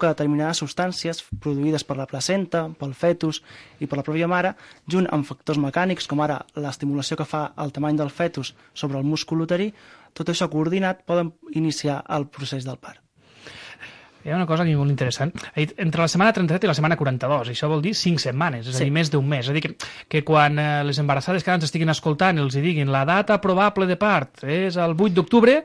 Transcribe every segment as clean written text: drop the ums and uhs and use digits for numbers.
que determinades substàncies produïdes per la placenta, pel fetus i per la pròpia mare, junt amb factors mecànics, com ara l'estimulació que fa el tamany del fetus sobre el múscul uterí, tot això coordinat poden iniciar el procés del part. Hi ha una cosa aquí molt interessant. Entre la setmana 37 i la setmana 42, això vol dir 5 setmanes, és a dir, més d'un mes. És a dir, que quan les embarassades que ara ens estiguin escoltant els hi diguin la data probable de part és el 8 d'octubre,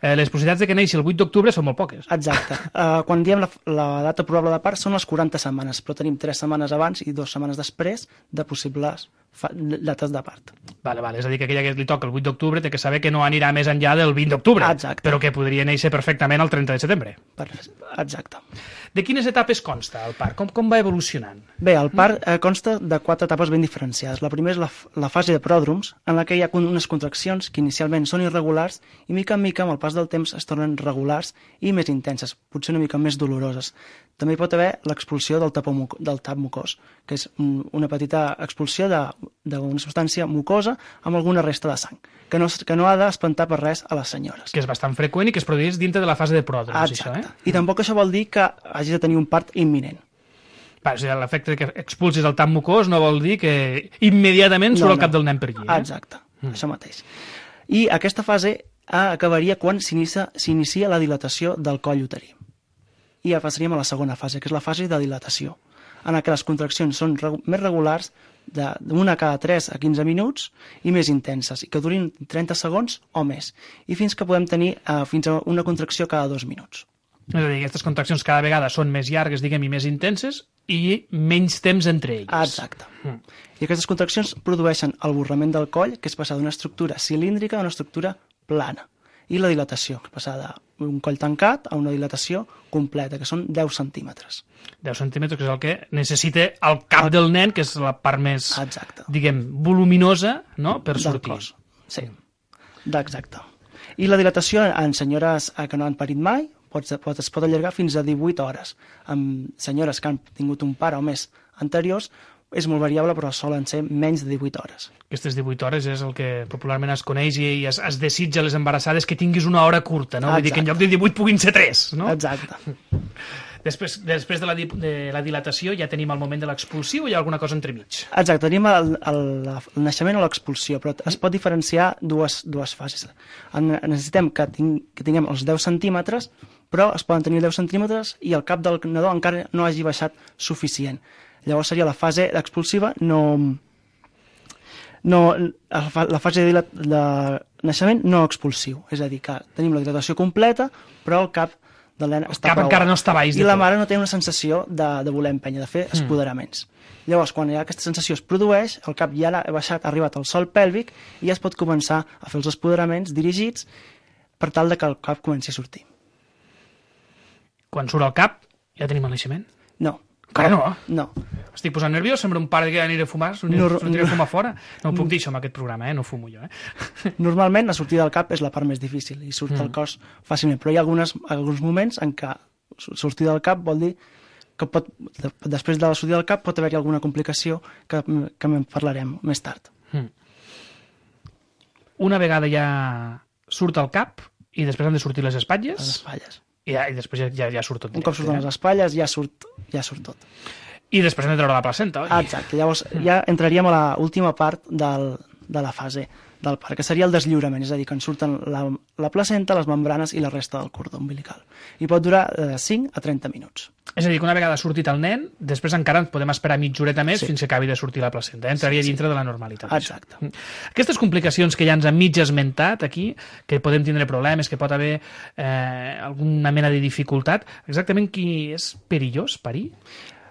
les possibilitats de que neixi el 8 d'octubre són molt poques. Exacte. Quan diem la data probable de part són les 40 setmanes, però tenim 3 setmanes abans i 2 setmanes després de possibles dates de part. Vale, és a dir, que aquella que li toca el 8 d'octubre té que saber que no anirà més enllà del 20 d'octubre, però que podria néixer perfectament el 30 de setembre. Exacte. De quines etapes consta el part? Com va evolucionant? Bé, el part consta de 4 etapes ben diferenciades. La primera és la fase de pròdroms, en la que hi ha unes contraccions que inicialment són irregulars i mica en mica, amb el pas del temps, es tornen regulars i més intenses, potser una mica més doloroses. També hi pot haver l'expulsió del tap mucós, que és una petita expulsió d'una substància mucosa amb alguna resta de sang, que no ha d'espantar per res a les senyores. Que és bastant freqüent i que es produeix dintre de la fase de pròdroms. Exacte. Això, I tampoc això vol dir que hagis de tenir un part imminent. L'efecte que expulsis el tap mucós no vol dir que immediatament surt el cap del nen per aquí. Exacte, això mateix. I aquesta fase acabaria quan s'inicia la dilatació del coll uterí. I ja passaríem a la segona fase, que és la fase de dilatació, en la que les contraccions són més regulars, d'una cada 3 a 15 minuts i més intenses, i que durin 30 segons o més, i fins que podem tenir fins a una contracció cada 2 minuts. És a dir, aquestes contraccions cada vegada són més llargues, diguem, i més intenses, i menys temps entre elles. Exacte. I aquestes contraccions produeixen el borrament del coll, que és passar d'una estructura cilíndrica a una estructura plana. I la dilatació, que passa d'un coll tancat a una dilatació completa, que són 10 centímetres. 10 centímetres, que és el que necessita el cap del nen, que és la part més, diguem, voluminosa, no?, per sortir. Del cos. Sí, exacte. I la dilatació en senyores que no han parit mai es pot allargar fins a 18 hores. En senyores que han tingut un pare o més anteriors, és molt variable, però solen ser menys de 18 hores. Aquestes 18 hores és el que popularment es coneix i es desitja a les embarassades que tinguis una hora curta, no? Vull dir que en lloc de 18 puguin ser 3, no? Exacte. Després de la dilatació ja tenim el moment de l'expulsió o hi ha alguna cosa entremig? Exacte, tenim el naixement o l'expulsió, però es pot diferenciar dues fases. Necessitem que tinguem els 10 centímetres, però es poden tenir 10 centímetres i el cap del nadó encara no hagi baixat suficient. Llavors seria la fase expulsiva, la fase de naixement no expulsiu. És a dir, que tenim la dilatació completa, però el cap del nen està prou. Encara no està baix. I la mare no té una sensació de voler empènyer, de fer espoderaments. Llavors, quan aquesta sensació es produeix, el cap ja ha baixat, ha arribat al sòl pèlvic i ja es pot començar a fer els espoderaments dirigits per tal que el cap comenci a sortir. Quan surt el cap, ja tenim el naixement? No. Encara no? No. Estic posant nerviós, sembla un pare que aniré a fumar, sortiré a fumar fora. No puc dir això en aquest programa, no fumo jo. Normalment la sortida del cap és la part més difícil i surt el cos fàcilment, però hi ha alguns moments en què sortida del cap vol dir que després de la sortida del cap pot haver-hi alguna complicació que en parlarem més tard. Una vegada ja surt el cap i després han de sortir les espatlles? Les espatlles. I després ja surt tot. Un cop surten les espatlles ja surt tot. I després hem de treure la placenta, oi? Exacte, llavors ja entraríem a l'última part de la fase del part, que seria el deslliurament, és a dir, que en surten la placenta, les membranes i la resta del cordó umbilical. I pot durar de 5 a 30 minuts. És a dir, que una vegada ha sortit el nen, després encara podem esperar mitja horeta més fins que acabi de sortir la placenta. Entraria dintre de la normalitat. Exacte. Aquestes complicacions que ja ens han mig esmentat aquí, que podem tindre problemes, que pot haver alguna mena de dificultat, exactament qui és perillós parir?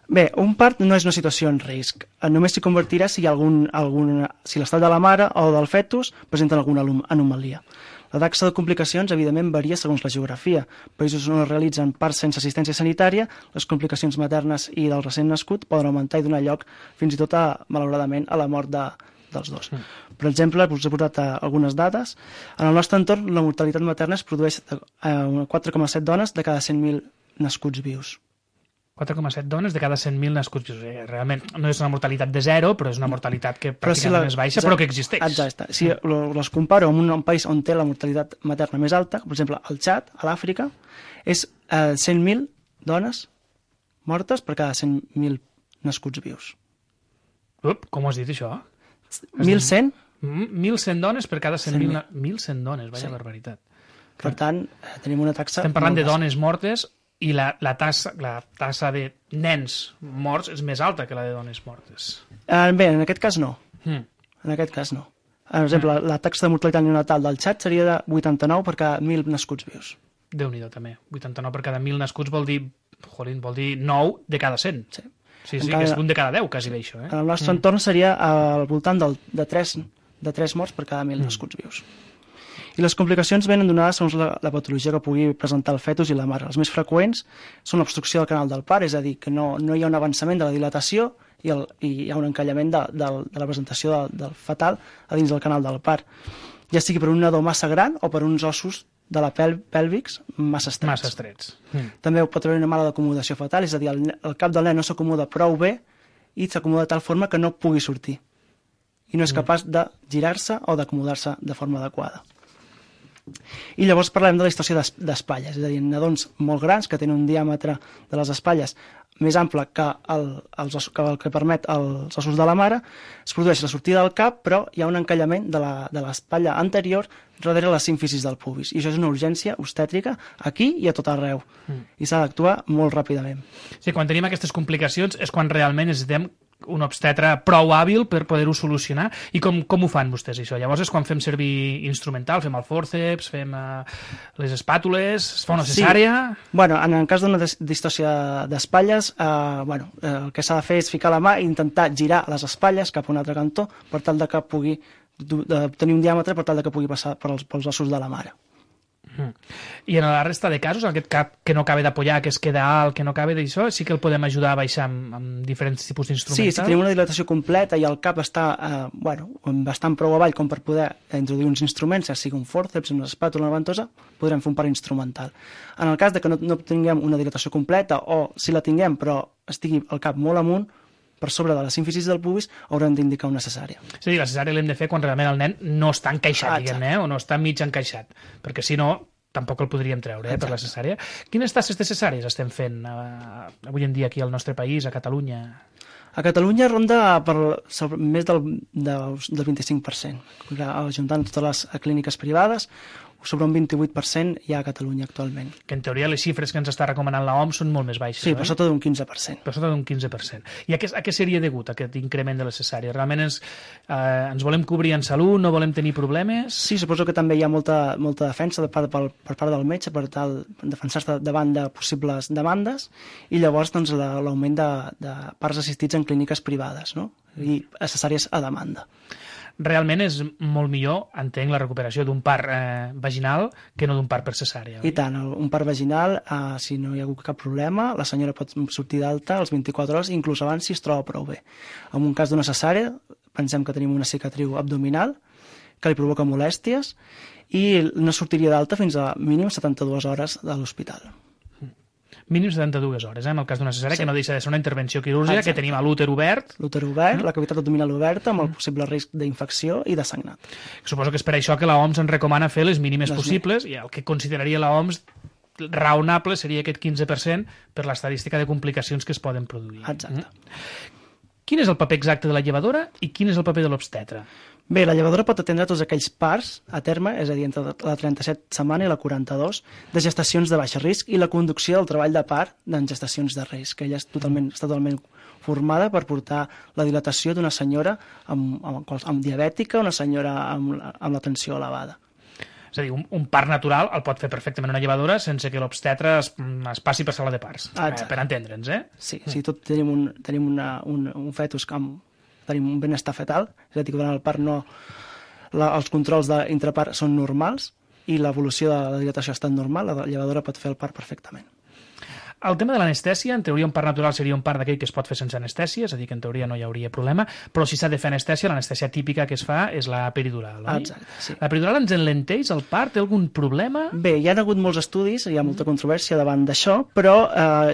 Bé, un part no és una situació en risc. Només s'hi convertirà si l'estat de la mare o del fetus presenten alguna anomalia. La taxa de complicacions, evidentment, varia segons la geografia. Països on es realitzen parts sense assistència sanitària, les complicacions maternes i del recent nascut poden augmentar i donar lloc fins i tot, malauradament, a la mort dels dos. Per exemple, us he portat algunes dades. En el nostre entorn, la mortalitat materna es produeix a 4,7 dones de cada 100.000 nascuts vius. 4,7 dones de cada 100.000 nascuts. Realment no és una mortalitat de zero, però és una mortalitat que pràcticament és baixa, però que existeix. Exacte. Si les comparo amb un país on té la mortalitat materna més alta, per exemple, el Txad, a l'Àfrica, és 100.000 dones mortes per cada 100.000 nascuts vius. Com ho has dit, això? 1.100? 1.100 dones per cada 100.000... 1.100 dones, vaja barbaritat. Per tant, tenim una taxa... Estem parlant de dones mortes i la tassa de nens morts és més alta que la de dones mortes. Bé, en aquest cas no. En aquest cas no. Per exemple, la taxa de mortalitat neonatal del Txad seria de 89 per cada 1.000 nascuts vius. Déu-n'hi-do, també. 89 per cada 1.000 nascuts vol dir 9 de cada 100. Sí, que és un de cada 10, quasi bé, això. En el nostre entorn seria al voltant de 3 morts per cada 1.000 nascuts vius. I les complicacions venen donades segons la patologia que pugui presentar el fetus i la mare. Les més freqüents són l'obstrucció del canal del part, és a dir, que no hi ha un avançament de la dilatació i hi ha un encallament de la presentació del fetal a dins del canal del part, ja sigui per un nadó massa gran o per uns ossos de la pèlvics massa estrets. També pot haver una mala acomodació fetal, és a dir, el cap del nen no s'acomoda prou bé i s'acomoda de tal forma que no pugui sortir i no és capaç de girar-se o d'acomodar-se de forma adequada. I llavors parlem de la distorsió d'espatlles, és a dir, nadons molt grans que tenen un diàmetre de les espatlles més ample que el que permet els ossos de la mare, es produeix la sortida del cap, però hi ha un encallament de l'espatlla anterior darrere les símfisis del pubis. I això és una urgència obstètrica aquí i a tot arreu. I s'ha d'actuar molt ràpidament. Sí, quan tenim aquestes complicacions és quan realment necessitem un obstetre prou hàbil per poder-ho solucionar. I com ho fan vostès, això? Llavors és quan fem servir instrumental, fem el fòrceps, fem les espàtules, es fa una cesàrea... Sí. Bueno, en el cas d'una distòcia d'espatlles, el que s'ha de fer és ficar la mà i intentar girar les espatlles cap a un altre cantó per tal de que pugui tenir un diàmetre per tal de que pugui passar pels ossos de la mare. I en la resta de casos, aquest cap que no acaba d'apoyar, que es queda alt, que no acaba d'això, sí que el podem ajudar a baixar amb diferents tipus d'instrumentals? Sí, si tenim una dilatació completa i el cap està bastant prou avall com per poder introduir uns instruments, ja sigui un fòrceps, una espàtula, una ventosa, podrem fer un part instrumental. En el cas de que no tinguem una dilatació completa o si la tinguem però estigui el cap molt amunt, per sobre de la símfisis del pubis, haurem d'indicar una cesària. És a dir, la cesària l'hem de fer quan realment el nen no està encaixat, diguem-ne, o no està mig encaixat, perquè si no, tampoc el podríem treure per la cesària. Quines tasses de cesàries estem fent avui en dia aquí al nostre país, a Catalunya? A Catalunya ronda més del 25%. Ajuntant totes les clíniques privades, sobre un 28% hi ha a Catalunya actualment. Que en teoria les xifres que ens està recomanant l'OMS són molt més baixes. Sí, per sota d'un 15%. Per sota d'un 15%. I a què seria degut aquest increment de la cesària? Realment ens volem cobrir en salut, no volem tenir problemes? Sí, suposo que també hi ha molta defensa per part del metge per tal de defensar-se davant de possibles demandes i llavors l'augment de parts assistits en clíniques privades, no? I cesàries a demanda. Realment és molt millor, entenc, la recuperació d'un part vaginal que no d'un part per cesària. I tant, un part vaginal, si no hi ha hagut cap problema, la senyora pot sortir d'alta als 24 hores, inclús abans si es troba prou bé. En un cas d'una cesària, pensem que tenim una cicatriu abdominal que li provoca molèsties i no sortiria d'alta fins a mínim 72 hores de l'hospital. Mínim 72 hores, en el cas d'una cesària, que no deixa de ser una intervenció quirúrgica, que tenim a l'úter obert. L'úter obert, la cavitat abdominal oberta, amb el possible risc d'infecció i de sagnat. Suposo que és per això que l'OMS ens recomana fer les mínimes possibles, i el que consideraria l'OMS raonable seria aquest 15% per l'estadística de complicacions que es poden produir. Exacte. Quin és el paper exacte de la llevadora i quin és el paper de l'obstetre? Bé, la llevadora pot atendre tots aquells parts a terme, és a dir, entre la 37 setmana i la 42, de gestacions de baix risc i la conducció del treball de part en gestacions de risc, que ella està totalment formada per portar la dilatació d'una senyora amb diabètica, una senyora amb la tensió elevada. És a dir, un part natural el pot fer perfectament una llevadora sense que l'obstetre es passi per sala de parts, per entendre'ns, eh? Sí, tot tenim un fetus tenim un benestar fetal, és a dir, que durant el part els controls d'intrapart són normals i l'evolució de la dilatació ha estat normal, la llevadora pot fer el part perfectament. El tema de l'anestèsia, en teoria un part natural seria un part d'aquell que es pot fer sense anestèsia, és a dir, que en teoria no hi hauria problema, però si s'ha de fer anestèsia, l'anestèsia típica que es fa és la peridural, oi? Exacte, sí. La peridural ens enlenteix el part? Té algun problema? Bé, hi ha hagut molts estudis, hi ha molta controvèrsia davant d'això, però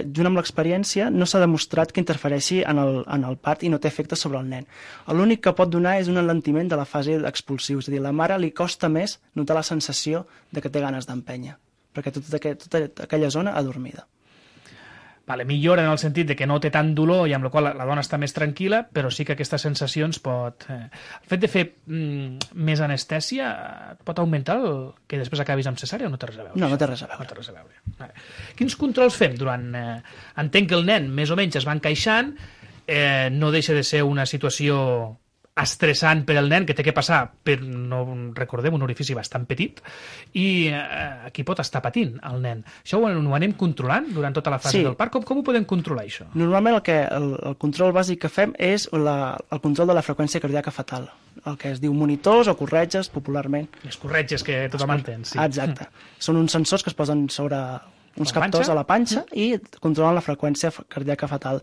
junt amb l'experiència no s'ha demostrat que interfereixi en el part i no té efecte sobre el nen. L'únic que pot donar és un enlentiment de la fase expulsiva, és a dir, a la mare li costa més notar la sensació de que té ganes d'empènyer, perquè tota aquella zona adormida. Vale, millora en el sentit de que no té tant dolor i amb la qual la dona està més tranquil·la, però sí que aquestes sensacions pot... El fet de fer més anestèsia pot augmentar el que després acabis amb cesària o no té res a veure? No, no té res a veure. No té res a veure. Vale. Quins controls fem durant... Entenc que el nen més o menys es va encaixant, no deixa de ser una situació estressant per al nen, que té que passar per, no recordem, un orifici bastant petit, i aquí pot estar patint el nen. Això ho anem controlant durant tota la fase del part? Com ho podem controlar, això? Normalment el control bàsic que fem és el control de la freqüència cardíaca fetal, el que es diu monitors o corretges, popularment. Les corretges que tothom entén, sí. Exacte. Són uns sensors que es posen sobre uns captors a la panxa i controlen la freqüència cardíaca fetal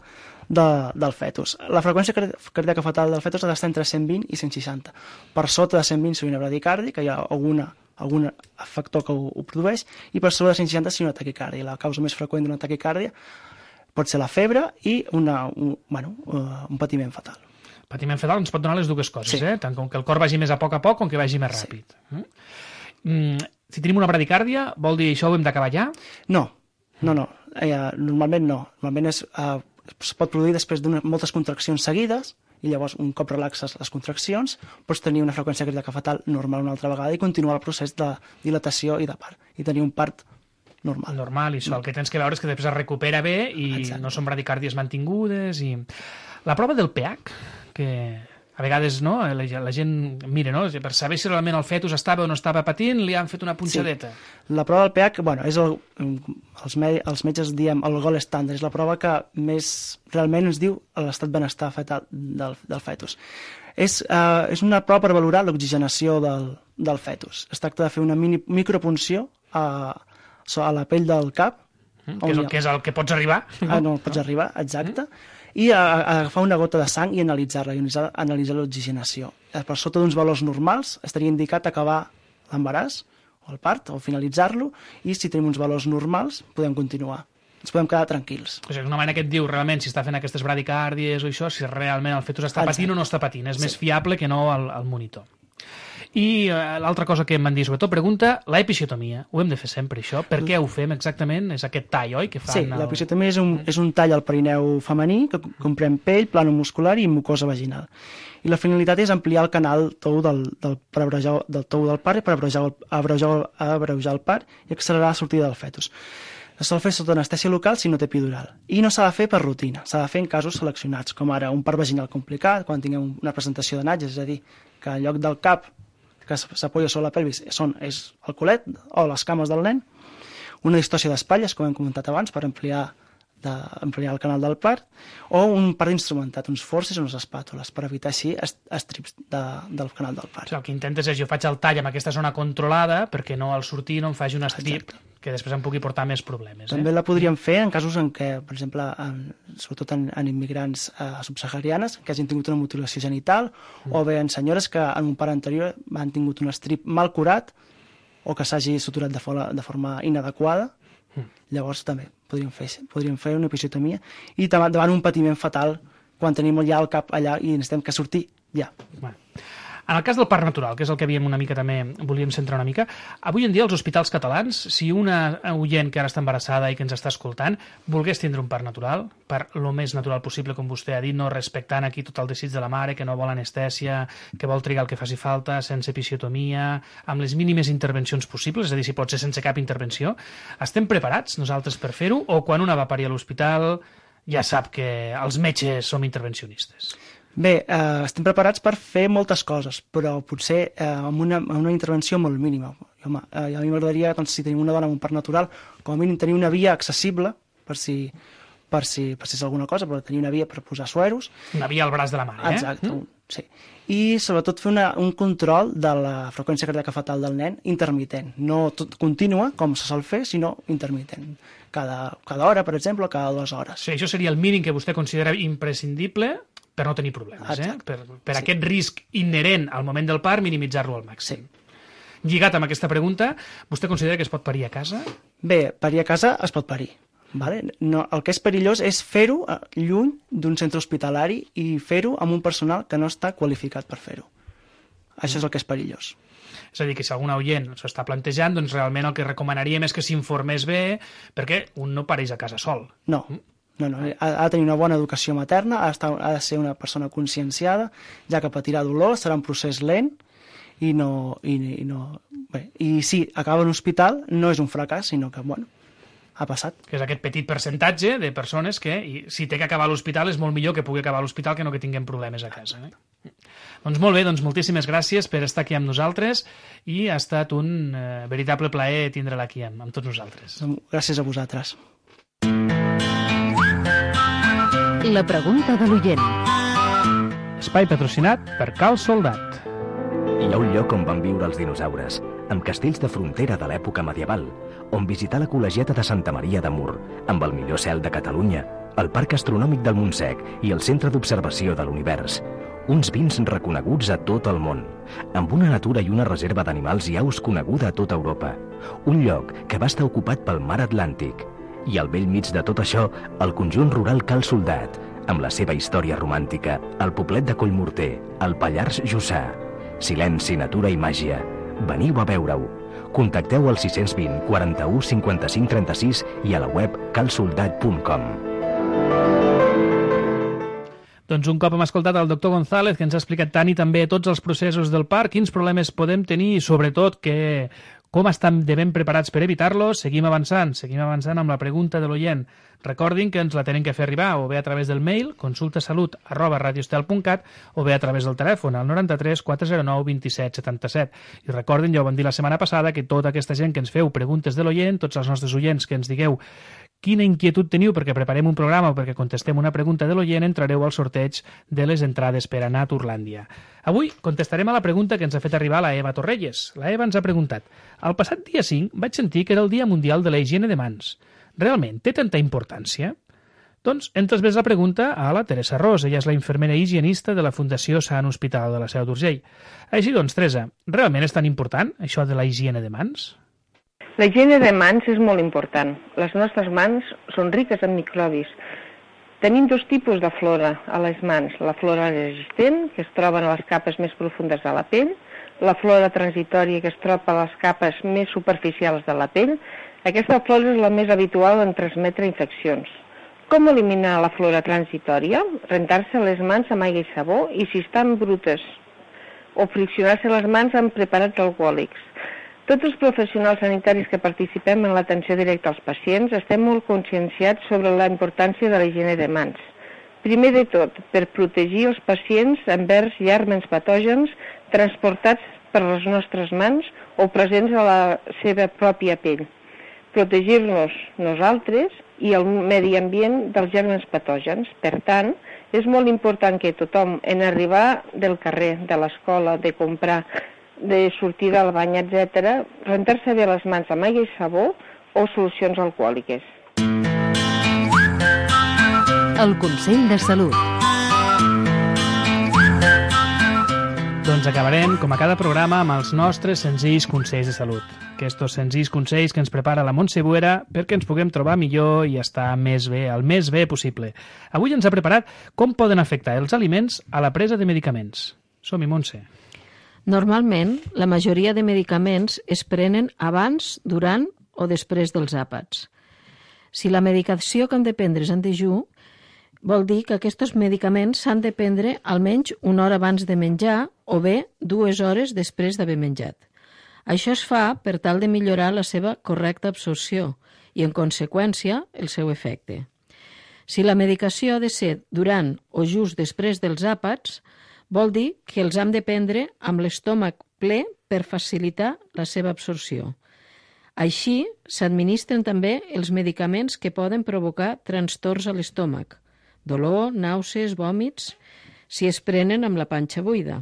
del fetus. La freqüència cardíaca fetal del fetus ha d'estar entre 120 i 160. Per sota de 120 si una bradicàrdia, que hi ha algun factor que ho produeix, i per sobre de 160 si una taquicàrdia. La causa més freqüent d'una taquicàrdia pot ser la febre i un patiment fetal. Patiment fetal ens pot donar les dues coses, sí. Tant com que el cor vagi més a poc com que vagi més ràpid. Sí. Si tenim una bradicàrdia, vol dir això ho hem d'acabar ja? No. Normalment no. Normalment es pot produir després de moltes contraccions seguides, i llavors un cop relaxes les contraccions pots tenir una freqüència cardíaca fetal normal una altra vegada i continuar el procés de dilatació i de part, i tenir un part normal. Normal, i això el que tens que veure és que després es recupera bé i Exacte. No són bradicàrdies mantingudes. I la prova del pH, que a vegades no, la gent mira, no? Per saber si realment el fetus estava o no estava patint, li han fet una punxadeta. Sí. La prova del pH, és els metges diem el gold standard, és la prova que més realment ens diu l'estat benestar fetal del fetus. És una prova per valorar l'oxigenació del fetus. Es tracta de fer una micropunció a la pell del cap. Que és el que pots arribar. Pots arribar, exacte. I agafar una gota de sang i analitzar-la, analitzar l'oxigenació. Per sota d'uns valors normals estaria indicat acabar l'embaràs o el part, o finalitzar-lo, i si tenim uns valors normals podem continuar. Ens podem quedar tranquils. És una manera que et diu realment si està fent aquestes bradicàrdies o això, si realment el fetus està patint o no està patint. És més fiable que no el monitor. I l'altra cosa que em van dir, sobretot, pregunta, l'episiotomia. Ho hem de fer sempre, això? Per què ho fem exactament? És aquest tall, oi? Que fan sí, l'episiotomia és un tall al perineu femení que comprèn pell, plànol muscular i mucosa vaginal. I la finalitat és ampliar el canal tou del tou del part per abreujar el part i accelerar la sortida del fetus. Es sol fer sota anestèsia local si no té epidural. I no s'ha de fer per rutina, s'ha de fer en casos seleccionats, com ara un part vaginal complicat, quan tinguem una presentació de natges, és a dir, que en lloc del cap que s'apoya sobre la pelvis és el culet o les cames del nen, una distòcia d'espatlles, com hem comentat abans, per ampliar el canal del part, o un part instrumentat, uns forces o unes espàtules, per evitar així estrips del canal del part. El que intentes és, jo faig el tall amb aquesta zona controlada perquè no al sortir no em faci un estrip. Exacte. Que després em pugui portar més problemes. També la podríem fer en casos en què, per exemple, sobretot en immigrants subsaharianes, que hagin tingut una mutilació genital, o bé en senyores que en un part anterior han tingut un estrip mal curat o que s'hagi suturat de forma inadequada. Llavors també podríem fer una episiotomia i davant un patiment fatal quan tenim ja el cap allà i necessitem que surti ja. Bueno. En el cas del part natural, que és el que havíem una mica també, volíem centrar una mica, avui en dia als hospitals catalans, si una oient que ara està embarassada i que ens està escoltant volgués tindre un part natural, per lo més natural possible, com vostè ha dit, no respectant aquí tot el desig de la mare, que no vol anestèsia, que vol trigar el que faci falta, sense episiotomia, amb les mínimes intervencions possibles, és a dir, si pot ser sense cap intervenció, estem preparats nosaltres per fer-ho, o quan una va parir a l'hospital ja sap que els metges som intervencionistes? Bé, estem preparats per fer moltes coses, però potser amb una intervenció molt mínima. Home, a mi m'agradaria, doncs, si tenim una dona amb un part natural, com a mínim tenir una via accessible, per si és alguna cosa, però tenir una via per posar sueros. Una via al braç de la mare, Exacte, sí. I sobretot fer un control de la freqüència cardíaca fetal del nen intermitent, no tot contínua, com se sol fer, sinó intermitent. Cada hora, per exemple, o cada 2 hores. Sí, això seria el mínim que vostè considera imprescindible per no tenir problemes, per aquest risc inherent al moment del part, minimitzar-lo al màxim. Sí. Lligat amb aquesta pregunta, vostè considera que es pot parir a casa? Bé, parir a casa es pot parir. Vale? No, el que és perillós és fer-ho lluny d'un centre hospitalari i fer-ho amb un personal que no està qualificat per fer-ho. Això és el que és perillós. És a dir, que si algun oient s'ho està plantejant, doncs realment el que recomanaríem és que s'informés bé, perquè un no pareix a casa sol. No. Ha de tenir una bona educació materna, ha de ser una persona conscienciada, ja que patirà dolor, serà un procés lent, i si acaba en l'hospital no és un fracàs, sinó que, ha passat. Que és aquest petit percentatge de persones que, si té que acabar a l'hospital, és molt millor que pugui acabar a l'hospital que no que tinguem problemes a casa. Doncs molt bé, moltíssimes gràcies per estar aquí amb nosaltres i ha estat un veritable plaer tindre-la aquí amb tots nosaltres. Gràcies a vosaltres. La pregunta de l'oient. Espai patrocinat per Cal Soldat. Hi ha un lloc on van viure els dinosaures, amb castells de frontera de l'època medieval, on visitar la col·legiata de Santa Maria de Mur, amb el millor cel de Catalunya, el Parc Astronòmic del Montsec i el Centre d'Observació de l'Univers. Uns vins reconeguts a tot el món, amb una natura i una reserva d'animals i aus coneguda a tota Europa. Un lloc que va estar ocupat pel mar Atlàntic. I al vell mig de tot això, el conjunt rural Cal Soldat, amb la seva història romàntica, el poblet de Collmorter, el Pallars Jussà. Silenci, natura i màgia. Veniu a veure-ho. Contacteu al 620 41 55 36 i a la web calsoldat.com. Doncs un cop hem escoltat el doctor González, que ens ha explicat tant i també tots els processos del parc, quins problemes podem tenir i sobretot com estan de ben preparats per evitar-los, seguim avançant amb la pregunta de l'oient. Recordin que ens la tenen que fer arribar o bé a través del mail consultasalut@radioestel.cat o bé a través del telèfon al 93 409 27 77. I recordin, ja ho vam dir la setmana passada, que tota aquesta gent que ens feu preguntes de l'oient, tots els nostres oients que ens digueu quina inquietud teniu perquè preparem un programa o perquè contestem una pregunta de l'oient, entrareu al sorteig de les entrades per anar a Turlàndia. Avui contestarem a la pregunta que ens ha fet arribar la Eva Torrelles. La Eva ens ha preguntat: el passat dia 5 vaig sentir que era el Dia Mundial de la Higiene de Mans. Realment té tanta importància? Doncs hem transmès la pregunta a la Teresa Ros. Ella és la infermera higienista de la Fundació Sant Hospital de la Seu d'Urgell. Així doncs, Teresa, realment és tan important això de la higiene de mans? La higiene de mans és molt important. Les nostres mans són riques en microbis. Tenim dos tipus de flora a les mans. La flora resistent, que es troba a les capes més profundes de la pell, la flora transitòria, que es troba a les capes més superficials de la pell. Aquesta flora és la més habitual en transmetre infeccions. Com eliminar la flora transitòria? Rentar-se les mans amb aigua i sabó i, si estan brutes, o friccionar-se les mans amb preparats alcohòlics. Tots els professionals sanitaris que participem en l'atenció directa als pacients estem molt conscienciats sobre la importància de la higiene de mans. Primer de tot, per protegir els pacients envers gèrmens patògens transportats per les nostres mans o presents a la seva pròpia pell. Protegir-nos nosaltres i el medi ambient dels gèrmens patògens. Per tant, és molt important que tothom, en arribar del carrer, de l'escola, de comprar, de sortir del bany, etc., rentar-se bé les mans amb aigua i sabó o solucions alcohòliques. El Consell de Salut. Doncs acabarem, com a cada programa, amb els nostres senzills consells de salut. Aquests senzills consells que ens prepara la Montse Buera perquè ens puguem trobar millor i estar més bé, el més bé possible. Avui ens ha preparat com poden afectar els aliments a la presa de medicaments. Som-hi, Montse. Normalment, la majoria de medicaments es prenen abans, durant o després dels àpats. Si la medicació que hem de prendre és en dejú, vol dir que aquests medicaments s'han de prendre almenys una hora abans de menjar o bé 2 hores després d'haver menjat. Això es fa per tal de millorar la seva correcta absorció i, en conseqüència, el seu efecte. Si la medicació ha de ser durant o just després dels àpats, vol dir que els hem de prendre amb l'estómac ple per facilitar la seva absorció. Així, s'administren també els medicaments que poden provocar trastorns a l'estómac, dolor, nàusees, vòmits, si es prenen amb la panxa buida.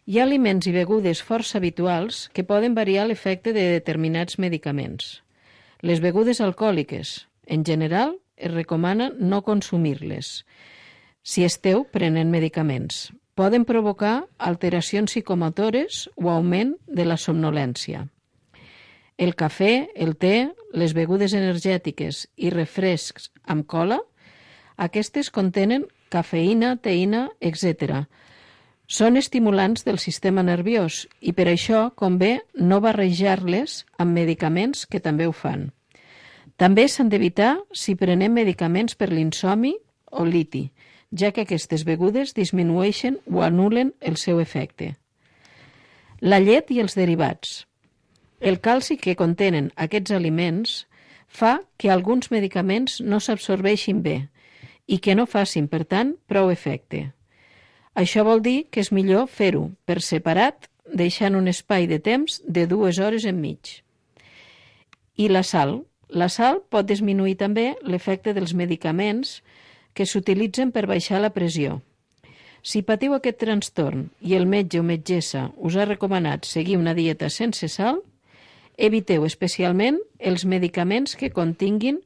Hi ha aliments i begudes força habituals que poden variar l'efecte de determinats medicaments. Les begudes alcohòliques, en general, es recomana no consumir-les si esteu prenent medicaments. Poden provocar alteracions psicomotores o augment de la somnolència. El cafè, el te, les begudes energètiques i refrescs amb cola, aquestes contenen cafeïna, teïna, etc. Són estimulants del sistema nerviós i per això convé no barrejar-les amb medicaments que també ho fan. També s'han d'evitar si prenem medicaments per l'insomni o liti, ja que aquestes begudes disminueixen o anulen el seu efecte. La llet i els derivats. El calci que contenen aquests aliments fa que alguns medicaments no s'absorbeixin bé i que no facin, per tant, prou efecte. Això vol dir que és millor fer-ho per separat, deixant un espai de temps de 2 hores enmig. I la sal. La sal pot disminuir també l'efecte dels medicaments que s'utilitzen per baixar la pressió. Si patiu aquest trastorn i el metge o metgessa us ha recomanat seguir una dieta sense sal, eviteu especialment els medicaments que continguin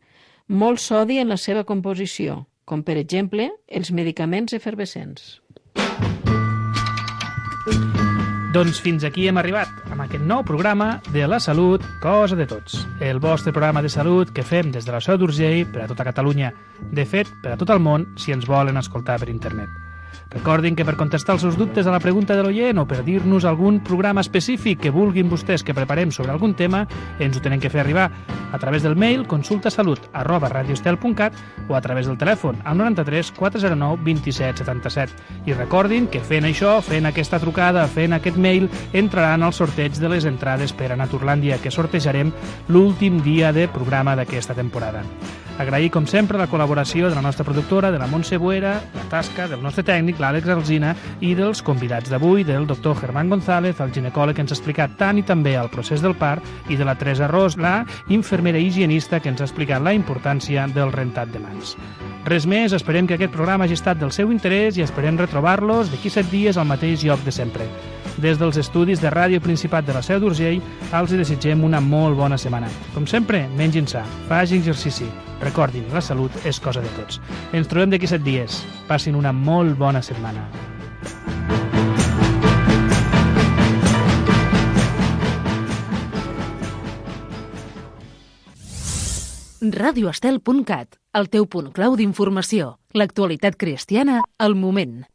molt sodi en la seva composició, com per exemple els medicaments efervescents. Doncs fins aquí hem arribat, amb aquest nou programa de la salut, cosa de tots. El vostre programa de salut que fem des de la Seu d'Urgell per a tota Catalunya. De fet, per a tot el món, si ens volen escoltar per internet. Recordin que per contestar els seus dubtes a la pregunta de l'oient o per dir-nos algun programa específic que vulguin vostès que preparem sobre algun tema, ens ho tenen que fer arribar a través del mail consultasalut@radioestel.cat o a través del telèfon al 93 409 27 77. I recordin que fent això, fent aquesta trucada, fent aquest mail, entraran al sorteig de les entrades per a Naturlàndia, que sortejarem l'últim dia de programa d'aquesta temporada. Agrair, com sempre, la col·laboració de la nostra productora, de la Montse Buera, la tasca del nostre tècnic, l'Àlex Alsina, i dels convidats d'avui, del doctor Germán González, el ginecòleg que ens ha explicat tant i també el procés del part, i de la Teresa Ros, la infermera higienista que ens ha explicat la importància del rentat de mans. Res més, esperem que aquest programa hagi estat del seu interès i esperem retrobar-los d'aquí 7 dies al mateix lloc de sempre. Des dels estudis de Ràdio Principat de la Seu d'Urgell, els desitgem una molt bona setmana. Com sempre, mengin sa, facin exercici. Recordin, la salut és cosa de tots. Ens trobem d'aquí 7 dies. Passin una molt bona setmana. radioestel.cat, el teu punt clau d'informació. L'actualitat cristiana al moment.